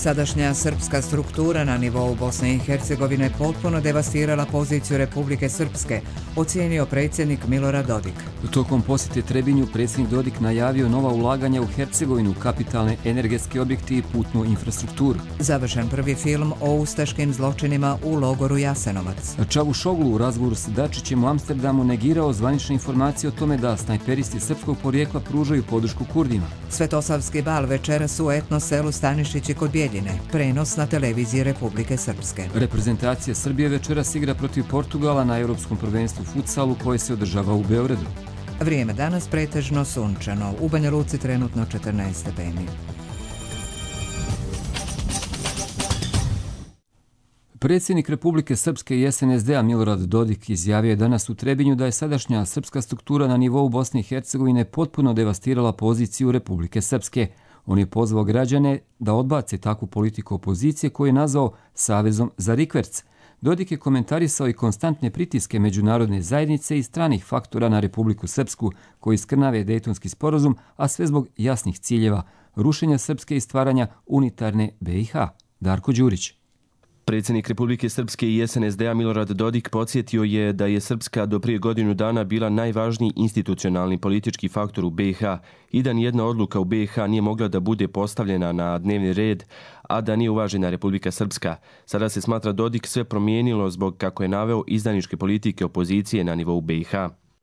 Sadašnja srpska struktura na nivou Bosne i Hercegovine potpuno devastirala poziciju Republike Srpske, ocijenio predsjednik Milorad Dodik. Tokom posjete Trebinju predsjednik Dodik najavio nova ulaganja u Hercegovinu, kapitalne energetske objekte i putnu infrastrukturu. Završen prvi film o ustaškim zločinima u logoru Jasenovac. Čavuşoglu u razgovoru s Dačićem u Amsterdamu negirao zvanične informacije o tome da snajperisti srpskog porijekla pružaju podršku Kurdima. Svetosavski bal večeras u etno selu Stanišići kod Bijeljine. Prenos na televiziji Republike Srpske. Reprezentacija Srbije večeras igra protiv Portugala na Europskom prvenstvu futsalu koje se održava u Beogradu. Vrijeme danas pretežno sunčano. U Banja Luci trenutno 14 stepeni. Predsjednik Republike Srpske i SNSD-a Milorad Dodik izjavio je danas u Trebinju da je sadašnja srpska struktura na nivou Bosne i Hercegovine potpuno devastirala poziciju Republike Srpske. On je pozvao građane da odbace takvu politiku opozicije koju je nazvao Savezom za rikverc. Dodik je komentarisao i konstantne pritiske međunarodne zajednice i stranih faktora na Republiku Srpsku koji skrnave Dejtonski sporazum, a sve zbog jasnih ciljeva rušenja Srpske i stvaranja unitarne BiH. Darko Đurić. Predsjednik Republike Srpske i SNSD-a Milorad Dodik podsjetio je da je Srpska do prije godinu dana bila najvažniji institucionalni politički faktor u BiH i da nijedna odluka u BiH nije mogla da bude postavljena na dnevni red, a da nije uvažena Republika Srpska. Sada se smatra Dodik sve promijenilo zbog, kako je naveo, izdajničke politike opozicije na nivou BiH.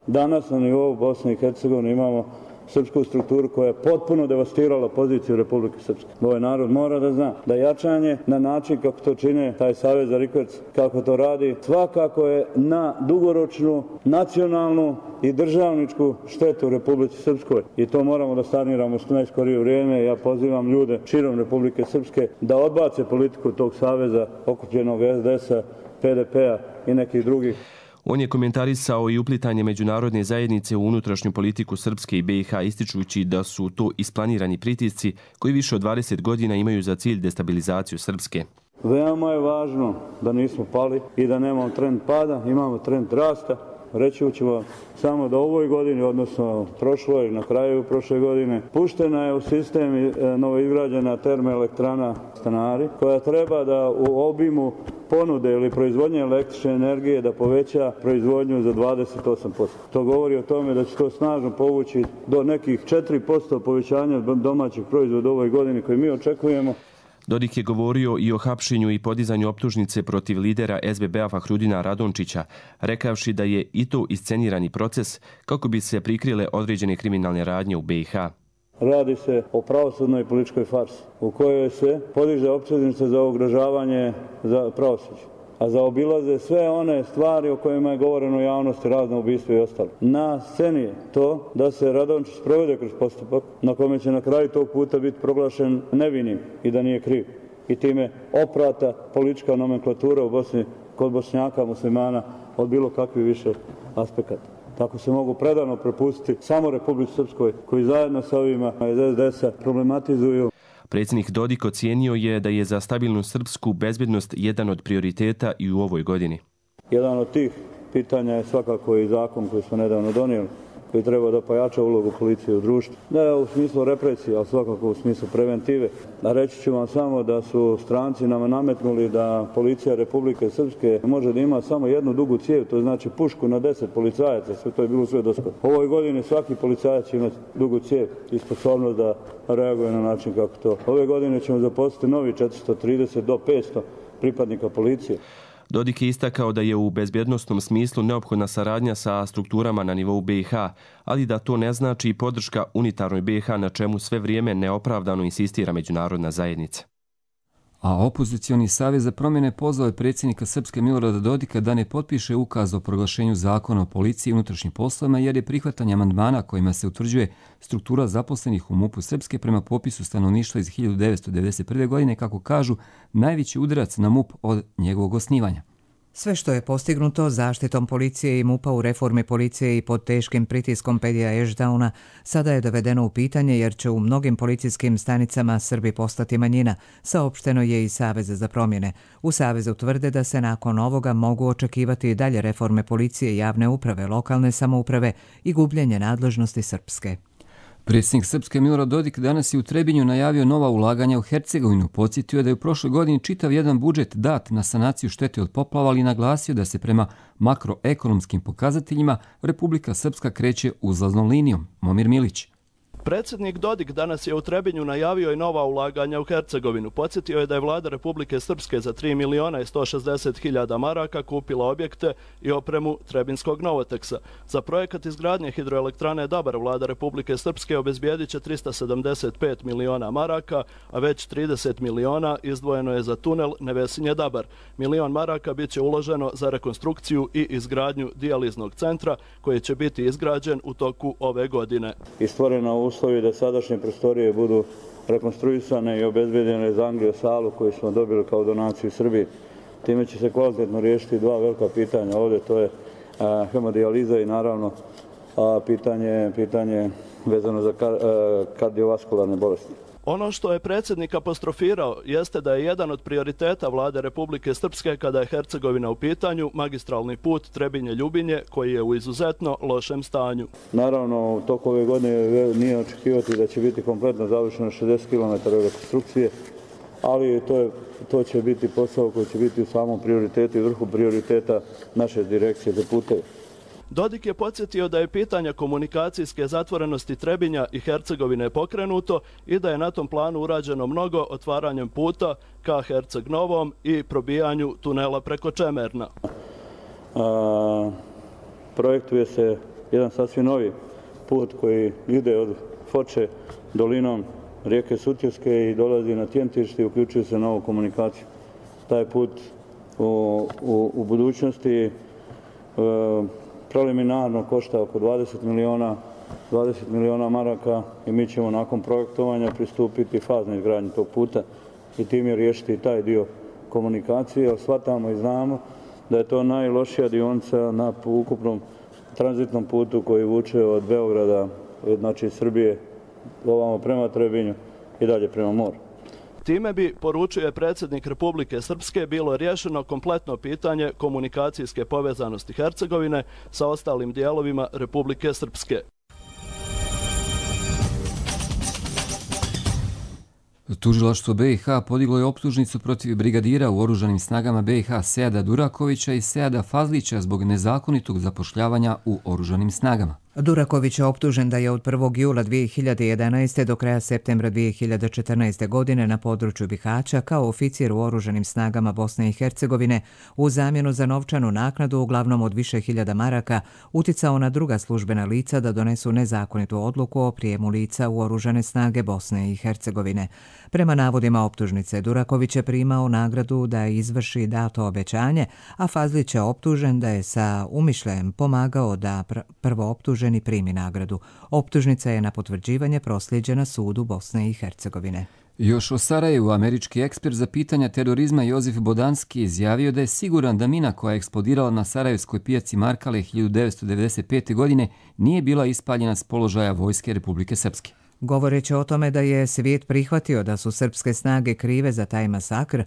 Danas na nivou Bosne i Hercegovine imamo srpsku strukturu koja je potpuno devastirala poziciju Republike Srpske. Ovaj narod mora da zna da jačanje na način kako to čine taj Savez za rikverc, kako to radi, svakako je na dugoročnu, nacionalnu i državničku štetu Republike Srpskoj. I to moramo da saniramo u najskorije vrijeme. Ja pozivam ljude širom Republike Srpske da odbace politiku tog saveza okupljenog SDS-a, PDP-a i nekih drugih. On je komentarisao i uplitanje međunarodne zajednice u unutrašnju politiku Srpske i BiH, ističući da su to isplanirani pritisci koji više od 20 godina imaju za cilj destabilizaciju Srpske. Veoma je važno da nismo pali i da nemamo trend pada, imamo trend rasta. Reći ću vam samo da u ovoj godini, odnosno prošloj, na kraju prošle godine, puštena je u sistem novoizgrađena termoelektrana Stanari, koja treba da u obimu ponude ili proizvodnje električne energije da poveća proizvodnju za 28%. To govori o tome da će to snažno povući do nekih 4% povećanja domaćih proizvoda u ovoj godini koji mi očekujemo. Dodik je govorio i o hapšenju i podizanju optužnice protiv lidera SBB-a Fahrudina Radončića, rekavši da je i to iscenirani proces kako bi se prikrile određene kriminalne radnje u BiH. Radi se o pravosudnoj političkoj farsi u kojoj se podiže optužnica za ugrožavanje za pravosuđe, a zaobilaze sve one stvari o kojima je govoreno u javnosti, razna ubistva i ostalo. Na sceni je to da se Radončić provede kroz postupak na kome će na kraju tog puta biti proglašen nevinim i da nije kriv. I time oprata politička nomenklatura u Bosni kod Bošnjaka, muslimana od bilo kakvih više aspekata. Tako se mogu predano prepustiti samo Republici Srpskoj koji zajedno sa ovima iz SDS-a problematizuju. Predsjednik Dodik ocijenio je da je za stabilnu srpsku bezbjednost jedan od prioriteta i u ovoj godini. Jedan od tih pitanja je svakako i zakon koji smo nedavno donijeli, koji treba da pojača ulogu policije u društvu. Ne u smislu represije, ali svakako u smislu preventive. A reći ću vam samo da su stranci nama nametnuli da policija Republike Srpske može da ima samo jednu dugu cijev, to znači pušku na 10 policajaca, sve to je bilo sve doskoro. Ovoj godini svaki policajac će imati dugu cijev i sposobnost da reaguje na način kako to. Ove godine ćemo zaposliti novi 430 do 500 pripadnika policije. Dodik je istakao da je u bezbjednosnom smislu neophodna saradnja sa strukturama na nivou BiH, ali da to ne znači i podrška unitarnoj BiH na čemu sve vrijeme neopravdano insistira međunarodna zajednica. A opozicioni savez za promjene pozvao je predsjednika Srpske Milorada Dodika da ne potpiše ukaz o proglašenju zakona o policiji i unutrašnjim poslovima jer je prihvatanje amandmana kojima se utvrđuje struktura zaposlenih u MUP-u Srpske prema popisu stanovništva iz 1991. godine, kako kažu, najveći udarac na MUP od njegovog osnivanja. Sve što je postignuto zaštitom policije i MUP-a u reformi policije i pod teškim pritiskom Pedija Ešdauna sada je dovedeno u pitanje jer će u mnogim policijskim stanicama Srbi postati manjina, saopšteno je i Saveza za promjene. U Savezu tvrde da se nakon ovoga mogu očekivati i dalje reforme policije, javne uprave, lokalne samouprave i gubljenje nadležnosti Srpske. Predsjednik Srpske Milorad Dodik danas je u Trebinju najavio nova ulaganja u Hercegovinu. Podsjetio je da je u prošloj godini čitav jedan budžet dat na sanaciju štete od poplava, ali naglasio da se prema makroekonomskim pokazateljima Republika Srpska kreće uzlaznom linijom. Momir Milić. Predsjednik Dodik danas je u Trebinju najavio i nova ulaganja u Hercegovinu. Podsjetio je da je vlada Republike Srpske za 3.160.000 maraka kupila objekte i opremu Trebinskog Novoteksa. Za projekat izgradnje hidroelektrane Dabar vlada Republike Srpske obezbijedit će 375 miliona maraka, a već 30 miliona izdvojeno je za tunel Nevesinje-Dabar. Milion maraka bit će uloženo za rekonstrukciju i izgradnju dijaliznog centra koji će biti izgrađen u toku ove godine. Uslovi da sadašnje prostorije budu rekonstruisane i obezbedjene za angio-salu koju smo dobili kao donaciju Srbiji. Time će se kvalitetno riješiti dva velika pitanja. Ovdje to je hemodijaliza i naravno pitanje vezano za kardiovaskularne bolesti. Ono što je predsjednik apostrofirao jeste da je jedan od prioriteta vlade Republike Srpske kada je Hercegovina u pitanju magistralni put Trebinje-Ljubinje koji je u izuzetno lošem stanju. Naravno, u toku ove godine nije očekivati da će biti kompletno završeno 60 km rekonstrukcije, ali to će biti posao koji će biti u samom prioritetu i vrhu prioriteta naše direkcije za puteve. Dodik je podsjetio da je pitanje komunikacijske zatvorenosti Trebinja i Hercegovine pokrenuto i da je na tom planu urađeno mnogo otvaranjem puta ka Herceg Novom i probijanju tunela preko Čemerna. Projektuje se jedan sasvim novi put koji ide od Foče dolinom rijeke Sutjeske i dolazi na Tjentište i uključuje se novu komunikaciju. Taj put u budućnosti preliminarno košta oko 20 miliona maraka i mi ćemo nakon projektovanja pristupiti faznoj izgradnji tog puta i tim je riješiti taj dio komunikacije. Shvatamo i znamo da je to najlošija dionica na ukupnom tranzitnom putu koji vuče od Beograda, znači Srbije, ovamo prema Trebinju i dalje prema moru. Time bi, poručuje predsjednik Republike Srpske, bilo riješeno kompletno pitanje komunikacijske povezanosti Hercegovine sa ostalim dijelovima Republike Srpske. Tužilaštvo BiH podiglo je optužnicu protiv brigadira u oružanim snagama BiH Seada Durakovića i Seada Fazlića zbog nezakonitog zapošljavanja u oružanim snagama. Duraković je optužen da je od 1. jula 2011. do kraja septembra 2014. godine na području Bihaća kao oficir u oružanim snagama Bosne i Hercegovine u zamjenu za novčanu naknadu uglavnom od više hiljada maraka uticao na druga službena lica da donesu nezakonitu odluku o prijemu lica u oružane snage Bosne i Hercegovine. Prema navodima optužnice, Duraković je primao nagradu da izvrši dato obećanje, a Fazlić je optužen da je sa umišljajem pomagao da prvo optuženi primi nagradu. Optužnica je na potvrđivanje proslijeđena sudu Bosne i Hercegovine. Još o Sarajevu, američki ekspert za pitanja terorizma Jozef Bodanski izjavio da je siguran da mina koja je eksplodirala na sarajevskoj pijaci Markale 1995. godine nije bila ispaljena s položaja vojske Republike Srpske. Govoreći o tome da je svijet prihvatio da su srpske snage krive za taj masakr,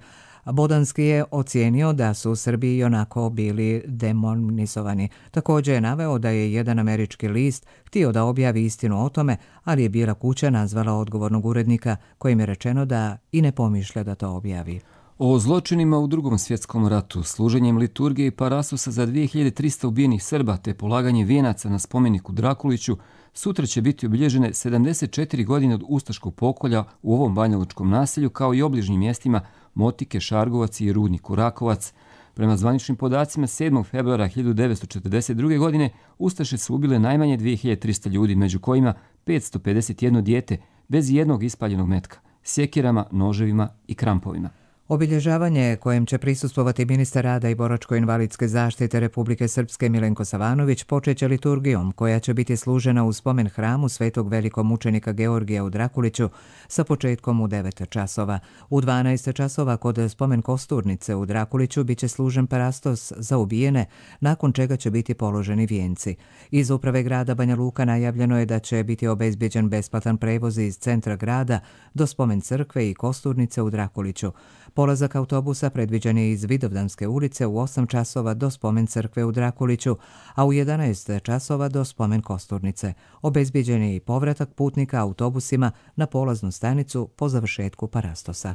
Bodanski je ocijenio da su Srbi onako bili demonizovani. Također je naveo da je jedan američki list htio da objavi istinu o tome, ali je Bijela kuća nazvala odgovornog urednika kojim je rečeno da i ne pomišlja da to objavi. O zločinima u Drugom svjetskom ratu, služenjem liturgije i parasusa za 2300 ubijenih Srba te polaganje vijenaca na spomeniku Drakuliću, sutra će biti obilježene 74 godine od ustaškog pokolja u ovom banjalučkom naselju kao i obližnjim mjestima Motike, Šargovac i Rudniku Rakovac. Prema zvaničnim podacima 7. februara 1942. godine ustaše su ubile najmanje 2300 ljudi, među kojima 551 dijete bez jednog ispaljenog metka, sjekirama, noževima i krampovima. Obilježavanje kojem će prisustvovati ministar rada i boračko-invalidske zaštite Republike Srpske Milenko Savanović počeće liturgijom koja će biti služena u spomen hramu svetog velikomučenika Georgija u Drakuliću sa početkom u 9 časova. U 12 časova kod spomen kosturnice u Drakuliću biće služen parastos za ubijene, nakon čega će biti položeni vijenci. Iz uprave grada Banja Luka najavljeno je da će biti obezbjeđen besplatan prevoz iz centra grada do spomen crkve i kosturnice u Drakuliću. Polazak autobusa predviđen je iz Vidovdanske ulice u 8 časova do spomen crkve u Drakuliću, a u 11 časova do spomen kosturnice. Obezbjeđen je i povratak putnika autobusima na polaznu stanicu po završetku parastosa.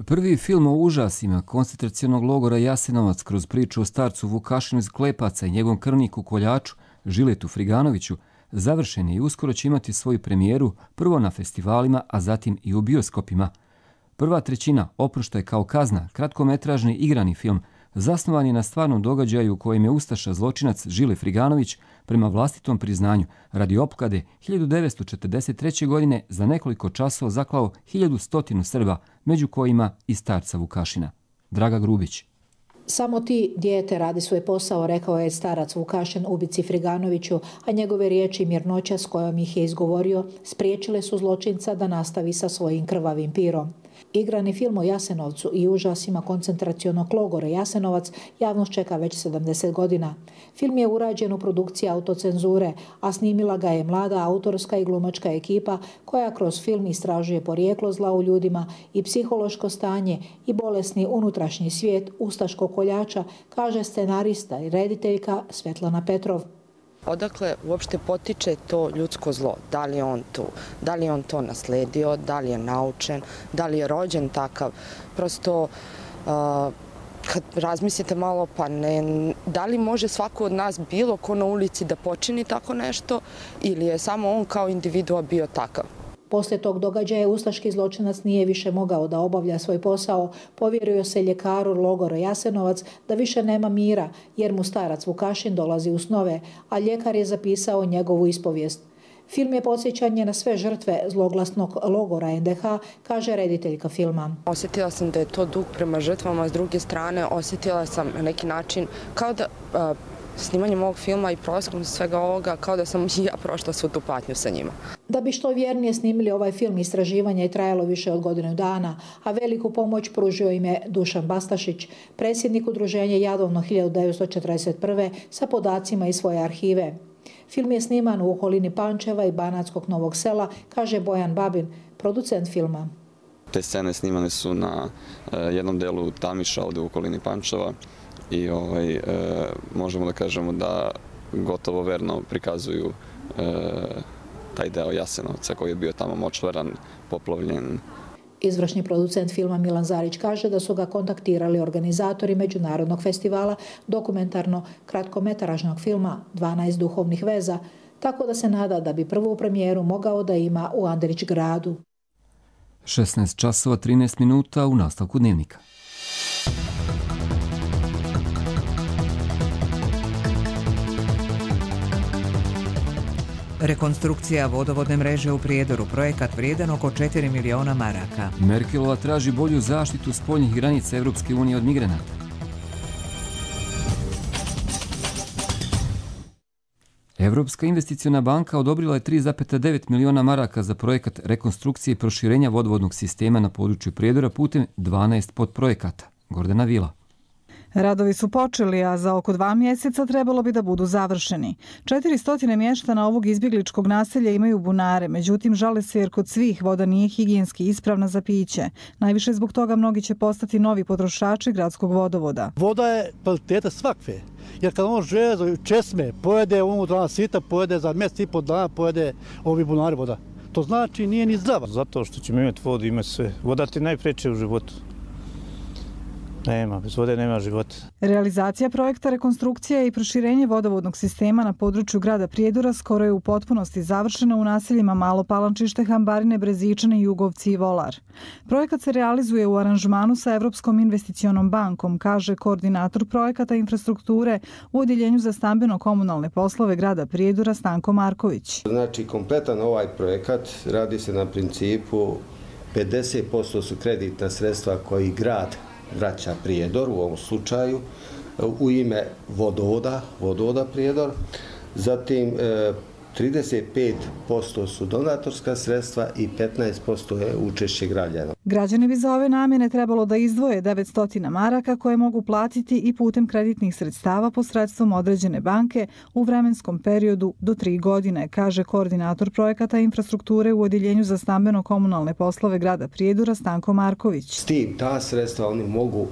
Prvi film o užasima koncentracionog logora Jasenovac kroz priču o starcu Vukašinu iz Klepaca i njegovom krvniku koljaču Žiletu Friganoviću završen je i uskoro će imati svoju premijeru prvo na festivalima, a zatim i u bioskopima. Prva trećina Oproštaj kao kazna, kratkometražni igrani film, zasnovan je na stvarnom događaju u kojem je ustaša zločinac Žile Friganović prema vlastitom priznanju radi opklade 1943. godine za nekoliko časova zaklao 1100 Srba, među kojima i starca Vukašina. Draga Grubić. Samo ti, dijete, radi svoj posao, rekao je starac Vukašin ubici Friganoviću, a njegove riječi i mirnoća s kojom ih je izgovorio spriječile su zločinca da nastavi sa svojim krvavim pirom. Igrani film o Jasenovcu i užasima koncentracionog logora Jasenovac javnost čeka već 70 godina. Film je urađen u produkciji autocenzure, a snimila ga je mlada autorska i glumačka ekipa koja kroz film istražuje porijeklo zla u ljudima i psihološko stanje i bolesni unutrašnji svijet ustaškog koljača, kaže scenarista i rediteljka Svetlana Petrov. Odakle uopšte potiče to ljudsko zlo? Da li je on tu? Da li je on to nasledio? Da li je naučen? Da li je rođen takav? Prosto, kad razmislite malo, pa ne, da li može svako od nas bilo ko na ulici da počini tako nešto ili je samo on kao individua bio takav? Poslije tog događaja ustaški zločinac nije više mogao da obavlja svoj posao, povjerio se ljekaru logora Jasenovac da više nema mira jer mu starac Vukašin dolazi u snove, a ljekar je zapisao njegovu ispovijest. Film je podsjećanje na sve žrtve zloglasnog logora NDH, kaže rediteljka filma. Osjetila sam da je to dug prema žrtvama, s druge strane osjetila sam na neki način kao da snimanjem ovog filma i prolaskom svega ovoga, kao da sam i ja prošla svu tu patnju sa njima. Da bi što vjernije snimili ovaj film, istraživanje je trajalo više od godinu dana, a veliku pomoć pružio im je Dušan Bastašić, predsjednik udruženja Jadovno 1941. sa podacima iz svoje arhive. Film je sniman u okolini Pančeva i Banatskog Novog Sela, kaže Bojan Babin, producent filma. Te scene snimane su na jednom delu Tamiša, ovdje u okolini Pančeva, i možemo da kažemo da gotovo verno prikazuju taj deo Jasenovca koji je bio tamo močvaran, poplavljen. Izvršni producent filma Milan Zarić kaže da su ga kontaktirali organizatori Međunarodnog festivala dokumentarno kratkometražnog filma 12 duhovnih veza, tako da se nada da bi prvu premijeru mogao da ima u Andrić gradu. 16 časova 13 minuta u nastavku dnevnika. Rekonstrukcija vodovodne mreže u Prijedoru, projekat vrijedan oko 4 miliona maraka. Merkelova traži bolju zaštitu spoljnih granica Evropske unije od migranata. Evropska investiciona banka odobrila je 3,9 miliona maraka za projekat rekonstrukcije i proširenja vodovodnog sistema na području Prijedora putem 12 podprojekata. Gordana Vila. Radovi su počeli, a za oko 2 mjeseca trebalo bi da budu završeni. 400 mještana ovog izbjegličkog naselja imaju bunare, međutim žale se jer kod svih voda nije higijenski ispravna za piće. Najviše zbog toga mnogi će postati novi potrošači gradskog vodovoda. Voda je kvaliteta svakve, jer kad on žele česme, pojede dana sita, pojede za mjesec i pol dana, pojede ovi bunari voda. To znači nije ni zdrava. Zato što ćemo imati vodu, imati sve. Voda ti najpreče u životu. Nema, bez vode nema života. Realizacija projekta rekonstrukcija i proširenje vodovodnog sistema na području grada Prijedora skoro je u potpunosti završena u naseljima Malo Palančište, Hambarine, Brezičane, Jugovci i Volar. Projekat se realizuje u aranžmanu sa Evropskom investicionom bankom, kaže koordinator projekata infrastrukture u Odjeljenju za stambeno-komunalne poslove grada Prijedora Stanko Marković. Znači, kompletan ovaj projekat radi se na principu 50% su kreditna sredstva koji grad vraća Prijedor u ovom slučaju u ime vodovoda Prijedor. Zatim 35% su donatorska sredstva i 15% je učešće građana. Građani bi za ove namjene trebalo da izdvoje 900 maraka koje mogu platiti i putem kreditnih sredstava posredstvom određene banke u vremenskom periodu do 3 godine, kaže koordinator projekata infrastrukture u Odjeljenju za stambeno-komunalne poslove grada Prijedora Stanko Marković. S tim ta sredstva oni mogu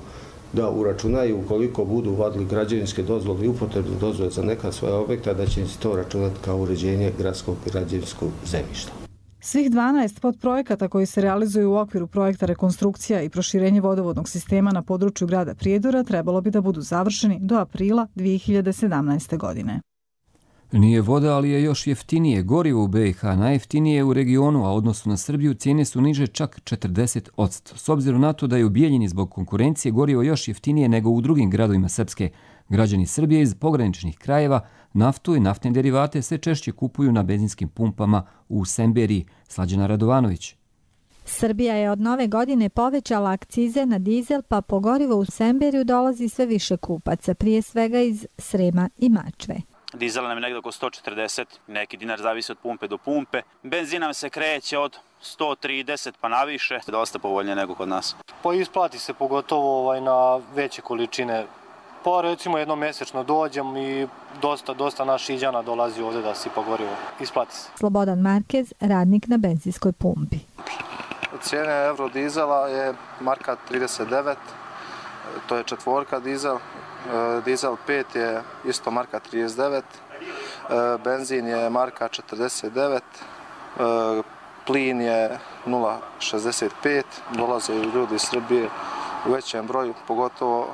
da uračunaju ukoliko budu vodili građevinske dozvole i upotrebne dozvole za neka svoja objekta, da će im se to računati kao uređenje gradskog i građevinskog zemljišta. Svih 12 podprojekata koji se realizuju u okviru projekta rekonstrukcija i proširenje vodovodnog sistema na području grada Prijedora trebalo bi da budu završeni do aprila 2017. godine. Nije voda, ali je još jeftinije. Gorivo u BiH najjeftinije je u regionu, a u odnosu na Srbiju cijene su niže čak 40%. S obzirom na to da je u Bijeljini zbog konkurencije gorivo još jeftinije nego u drugim gradovima Srpske, građani Srbije iz pograničnih krajeva naftu i naftne derivate sve češće kupuju na benzinskim pumpama u Semberiji. Slađana Radovanović. Srbija je od nove godine povećala akcize na dizel, pa po gorivo u Semberiju dolazi sve više kupaca, prije svega iz Srema i Mačve. Dizel nam je negdje oko 140, neki dinar zavisi od pumpe do pumpe. Benzin nam se kreće od 130 pa naviše, dosta povoljnije nego kod nas. Pa isplati se pogotovo na veće količine. Pa recimo jednomesečno dođem i dosta naših Iđana dolazi ovdje da sipa gorivo. Isplati se. Slobodan Markez, radnik na benzinskoj pumpi. Cijene Eurodizela je marka 39, to je četvorka dizel. Dizel 5 je isto marka 39, benzin je marka 49, plin je 0,65, dolaze ljudi iz Srbije u većem broju, pogotovo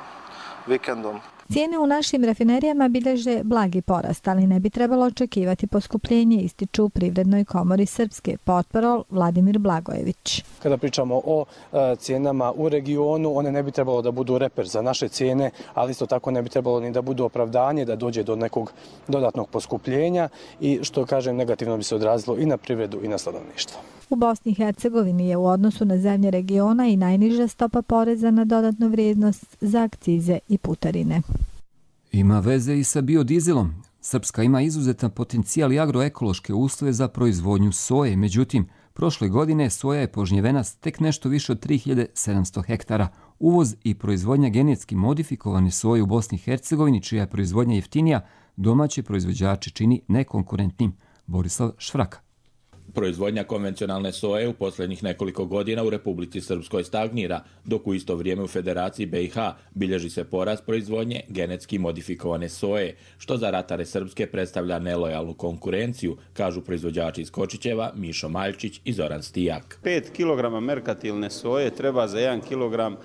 vikendom. Cijene u našim rafinerijama bilježe blagi porast, ali ne bi trebalo očekivati poskupljenje, ističu u Privrednoj komori Srpske, portparol Vladimir Blagojević. Kada pričamo o cijenama u regionu, one ne bi trebalo da budu reper za naše cijene, ali isto tako ne bi trebalo ni da budu opravdanje da dođe do nekog dodatnog poskupljenja i što kažem negativno bi se odrazilo i na privredu i na stanovništvo. U Bosni i Hercegovini je u odnosu na zemlje regiona i najniža stopa poreza na dodatnu vrijednost za akcize i putarine. Ima veze i sa biodizelom. Srpska ima izuzetan potencijal i agroekološke uslove za proizvodnju soje. Međutim, prošle godine soja je požnjevena s tek nešto više od 3700 hektara. Uvoz i proizvodnja genetski modifikovane soje u Bosni i Hercegovini, čija je proizvodnja jeftinija, domaće proizvođače čini nekonkurentnim. Borislav Švraka. Proizvodnja konvencionalne soje u posljednjih nekoliko godina u Republici Srpskoj stagnira, dok u isto vrijeme u Federaciji BiH bilježi se porast proizvodnje genetski modifikovane soje, što za ratare Srpske predstavlja nelojalnu konkurenciju, kažu proizvođači iz Kočićeva Mišo Maljčić i Zoran Stijak. 5 kg merkatilne soje treba za 1 kg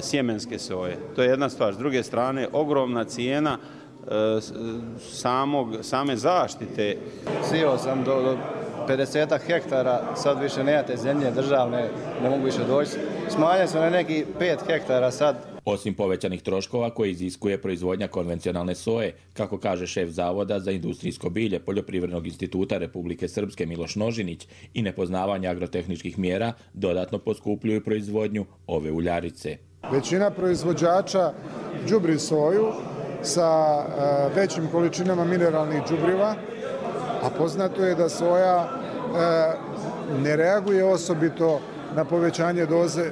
sjemenske soje. To je jedna stvar. S druge strane, ogromna cijena same zaštite. Sio sam do 50 hektara, sad više nemate zemlje državne, ne mogu više doći. Smanjaju se na neki 5 hektara sad. Osim povećanih troškova koje iziskuje proizvodnja konvencionalne soje, kako kaže šef Zavoda za industrijsko bilje Poljoprivrednog instituta Republike Srpske Miloš Nožinić, i nepoznavanje agrotehničkih mjera dodatno poskupljuju proizvodnju ove uljarice. Većina proizvođača đubri soju sa većim količinama mineralnih đubriva, a poznato je da soja ne reaguje osobito na povećanje doze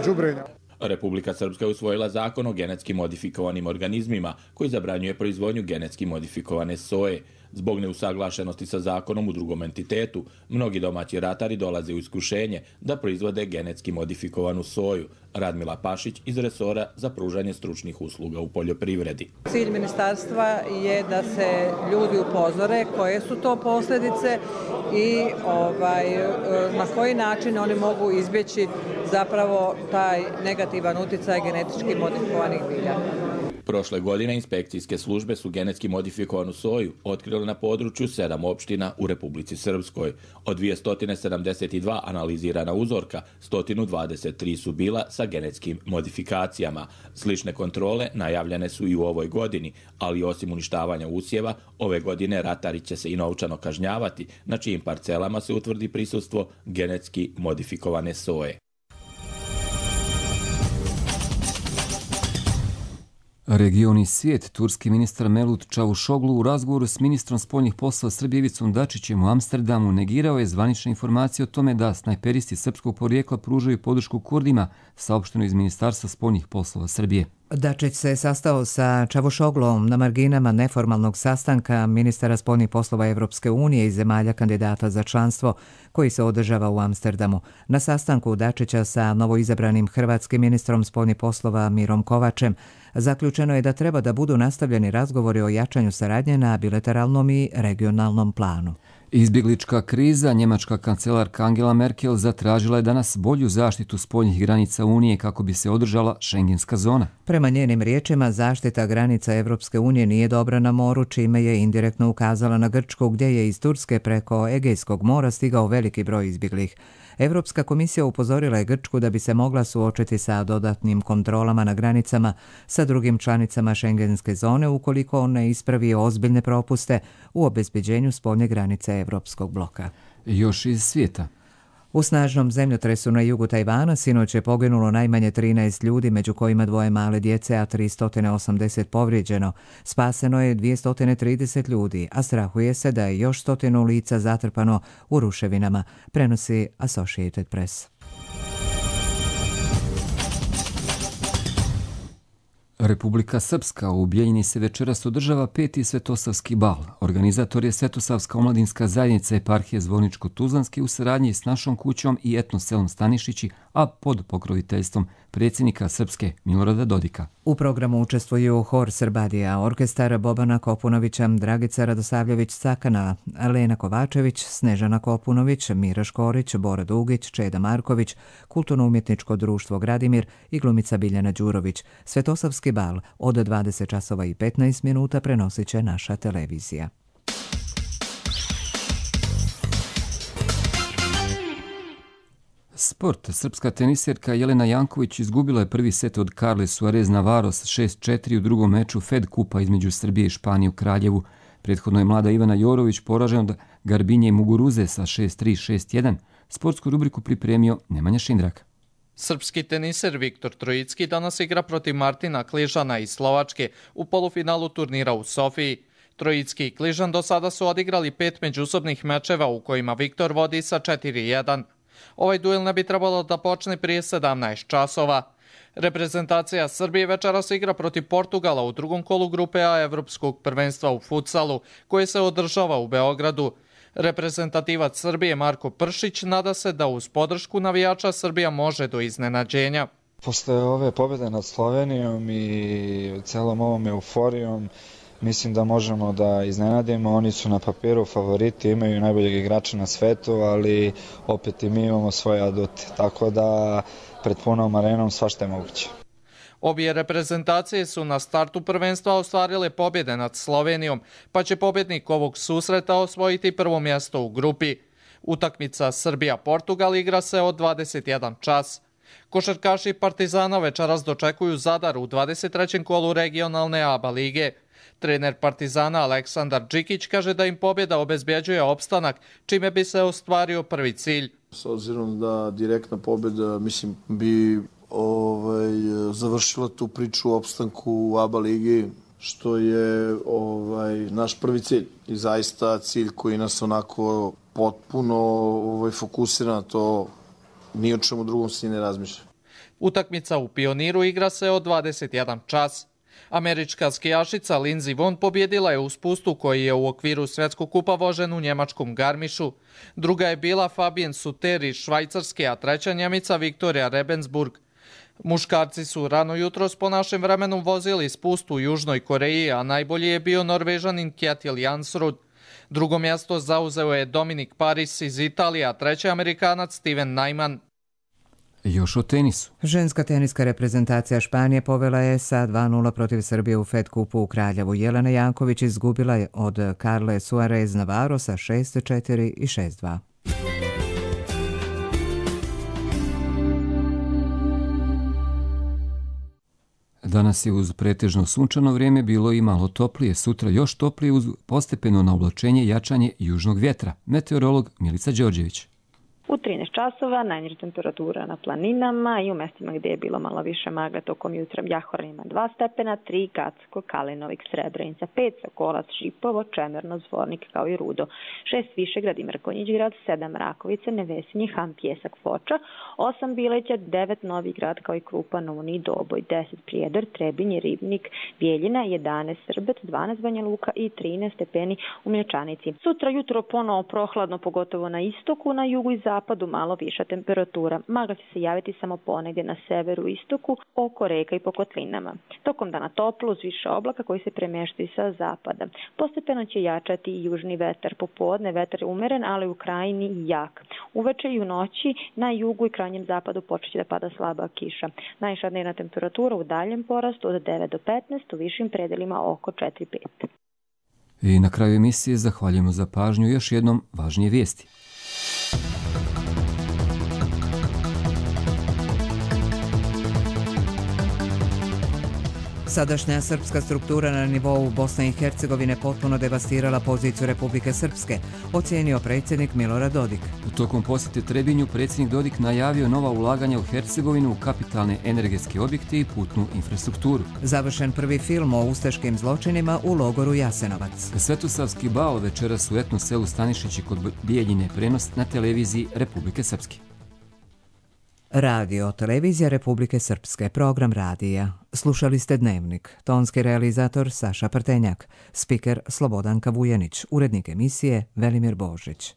đubrenja. Republika Srpska je usvojila zakon o genetski modifikovanim organizmima koji zabranjuje proizvodnju genetski modifikovane soje. Zbog neusaglašenosti sa zakonom u drugom entitetu, mnogi domaći ratari dolaze u iskušenje da proizvode genetski modifikovanu soju. Radmila Pašić iz resora za pružanje stručnih usluga u poljoprivredi. Cilj ministarstva je da se ljudi upozore koje su to posljedice i na koji način oni mogu izbjeći zapravo taj negativan utjecaj genetički modifikovanih bilja. Prošle godine inspekcijske službe su genetski modifikovanu soju otkrile na području 7 opština u Republici Srpskoj. Od 272 analizirana uzorka, 123 su bila sa genetskim modifikacijama. Slične kontrole najavljene su i u ovoj godini, ali osim uništavanja usjeva, ove godine ratari će se i novčano kažnjavati, na čijim parcelama se utvrdi prisustvo genetski modifikovane soje. Region i svijet, turski ministar Mevlut Čavuşoglu u razgovoru s ministrom spoljnih poslova Srbije Ivicom Dačićem u Amsterdamu negirao je zvanične informacije o tome da snajperisti srpskog porijekla pružaju podršku Kurdima, saopšteno iz Ministarstva spoljnih poslova Srbije. Dačić se sastao sa Čavuşoglom na marginama neformalnog sastanka ministara spoljnih poslova Evropske unije i zemalja kandidata za članstvo koji se održava u Amsterdamu. Na sastanku Dačića sa novoizabranim hrvatskim ministrom spoljnih poslova Mirom Kovačem zaključeno je da treba da budu nastavljeni razgovori o jačanju saradnje na bilateralnom i regionalnom planu. Izbjeglička kriza, njemačka kancelarka Angela Merkel zatražila je danas bolju zaštitu spoljnih granica Unije kako bi se održala šengenska zona. Prema njenim riječima, zaštita granica Evropske unije nije dobra na moru, čime je indirektno ukazala na Grčku, gdje je iz Turske preko Egejskog mora stigao veliki broj izbjeglih. Evropska komisija upozorila je Grčku da bi se mogla suočiti sa dodatnim kontrolama na granicama sa drugim članicama šengenske zone ukoliko on ne ispravi ozbiljne propuste u obezbeđenju spoljne granice Evropskog bloka. Još iz svijeta. U snažnom zemljotresu na jugu Tajvana sinoć je poginulo najmanje 13 ljudi, među kojima 2 male djece, a 380 povrijeđeno. Spaseno je 230 ljudi, a strahuje se da je još 100 lica zatrpano u ruševinama, prenosi Associated Press. Republika Srpska u Bijeljini se večeras održava 5. Svetosavski bal. Organizator je Svetosavska omladinska zajednica eparhije Zvorničko-Tuzlanske u saradnji s Našom kućom i etnoselom Stanišići, a pod pokroviteljstvom predsjednika Srpske Milorada Dodika. U programu učestvuju hor Srbadija, orkestar Bobana Kopunovića, Dragica Radosavljević-Cakana, Lena Kovačević, Snežana Kopunović, Mira Škorić, Bora Dugić, Čeda Marković, Kulturno-umjetničko društvo Gradimir i glumica Biljana Đurović. Svetosavski bal od 20 časova i 15 minuta prenosit će naša televizija. Sport. Srpska tenisjerka Jelena Janković izgubila je prvi set od Carle Suarez Navarros 6-4 u drugom meču Fed kupa između Srbije i Španije u Kraljevu. Prethodno je mlada Ivana Jorović poražena od Garbinje i Muguruze sa 6-3, 6-1. Sportsku rubriku pripremio Nemanja Šindrak. Srpski teniser Viktor Trojicki danas igra protiv Martina Kližana iz Slovačke u polufinalu turnira u Sofiji. Trojicki i Kližan do sada su odigrali 5 međusobnih mečeva u kojima Viktor vodi sa 4-1. Ovaj duel ne bi trebalo da počne prije 17 časova. Reprezentacija Srbije večeras igra protiv Portugala u drugom kolu grupe A Evropskog prvenstva u futsalu, koje se održava u Beogradu. Reprezentativac Srbije Marko Pršić nada se da uz podršku navijača Srbija može do iznenađenja. Posle ove pobjede nad Slovenijom i celom ovom euforijom, mislim da možemo da iznenadimo. Oni su na papiru favoriti, imaju najboljeg igrača na svetu, ali opet i mi imamo svoje adute. Tako da pred punom arenom svašta je moguće. Obje reprezentacije su na startu prvenstva ostvarile pobjede nad Slovenijom, pa će pobjednik ovog susreta osvojiti prvo mjesto u grupi. Utakmica Srbija-Portugal igra se od 21 čas. Košarkaši Partizana večeras dočekuju Zadar u 23. kolu regionalne ABA lige. Trener Partizana Aleksandar Džikić kaže da im pobjeda obezbjeđuje opstanak, čime bi se ostvario prvi cilj. S obzirom da direktna pobjeda, mislim, bi završila tu priču o opstanku u ABA ligi, što je naš prvi cilj. I zaista cilj koji nas onako potpuno fokusira na to, ni o čemu drugom se ne razmišlja. Utakmica u Pioniru igra se od 21 čas. Američka skijašica Lindsey Vonn pobjedila je u spustu koji je u okviru svjetskog kupa vožen u njemačkom Garmišu. Druga je bila Fabien Suter iz Švajcarske, a treća Njemica Viktorija Rebensburg. Muškarci su rano jutros po našem vremenu vozili spust u Južnoj Koreji, a najbolji je bio Norvežanin Kjetil Jansrud. Drugo mjesto zauzeo je Dominik Paris iz Italije, a treći Amerikanac Steven Najman. Još o tenisu. Ženska teniska reprezentacija Španije povela je sa 2-0 protiv Srbije u Fed kupu u Kraljevu. Jelena Janković izgubila je od Carle Suarez Navarro sa 6-4 i 6-2. Danas je uz pretežno sunčano vrijeme bilo i malo toplije. Sutra još toplije uz postepeno naoblačenje i jačanje južnog vjetra. Meteorolog Milica Đorđević. U 13 časova najniža temperatura na planinama i u mestima gdje je bilo malo više magle tokom jutra Jahoranima 2 stepena, 3 Gacko, Kalinovik, Srebrenica, 5 Sokolac, Šipovo, Čemerno, Zvornik kao i Rudo, 6 Višegrad i Mrkonjić grad, 7 Rakovica, Nevesinje, Han, Pjesak, Foča, 8 Bileća, 9 Novi grad kao i Krupa, Novni, Doboj, 10 Prijedor, Trebinje, Ribnik, Bijeljina, 11 Srbet, 12 Banja Luka i 13 stepeni u Mlječanici. Sutra jutro ponovo prohladno, pogotovo na istoku, na jugu i zapadu malo viša temperatura. Magla će se javiti samo ponegdje na severu i istoku, oko reka i po kotlinama. Tokom dana toplo uz više oblaka koji se premještaju sa zapada. Postepeno će jačati i južni vetar. Popodne vetar je umeren, ali u krajini jak. Uveče i u noći na jugu i krajnjem zapadu počeće da pada slaba kiša. Najviša dnevna temperatura u daljem porastu od 9 do 15, u višim predelima oko 4-5. I na kraju emisije zahvaljujemo za pažnju još jednom važnije vijesti. Sadašnja srpska struktura na nivou Bosne i Hercegovine potpuno devastirala poziciju Republike Srpske, ocijenio predsjednik Milorad Dodik. Tokom posjete Trebinju predsjednik Dodik najavio nova ulaganja u Hercegovinu u kapitalne energetske objekte i putnu infrastrukturu. Završen prvi film o ustaškim zločinima u logoru Jasenovac. Svetosavski bal večeras u etno selu Stanišići kod Bijeljine, prenos na televiziji Republike Srpske. Radio, televizija Republike Srpske, program radija. Slušali ste Dnevnik. Tonski realizator Saša Prtenjak, spiker Slobodanka Vujanić, urednik emisije Velimir Božić.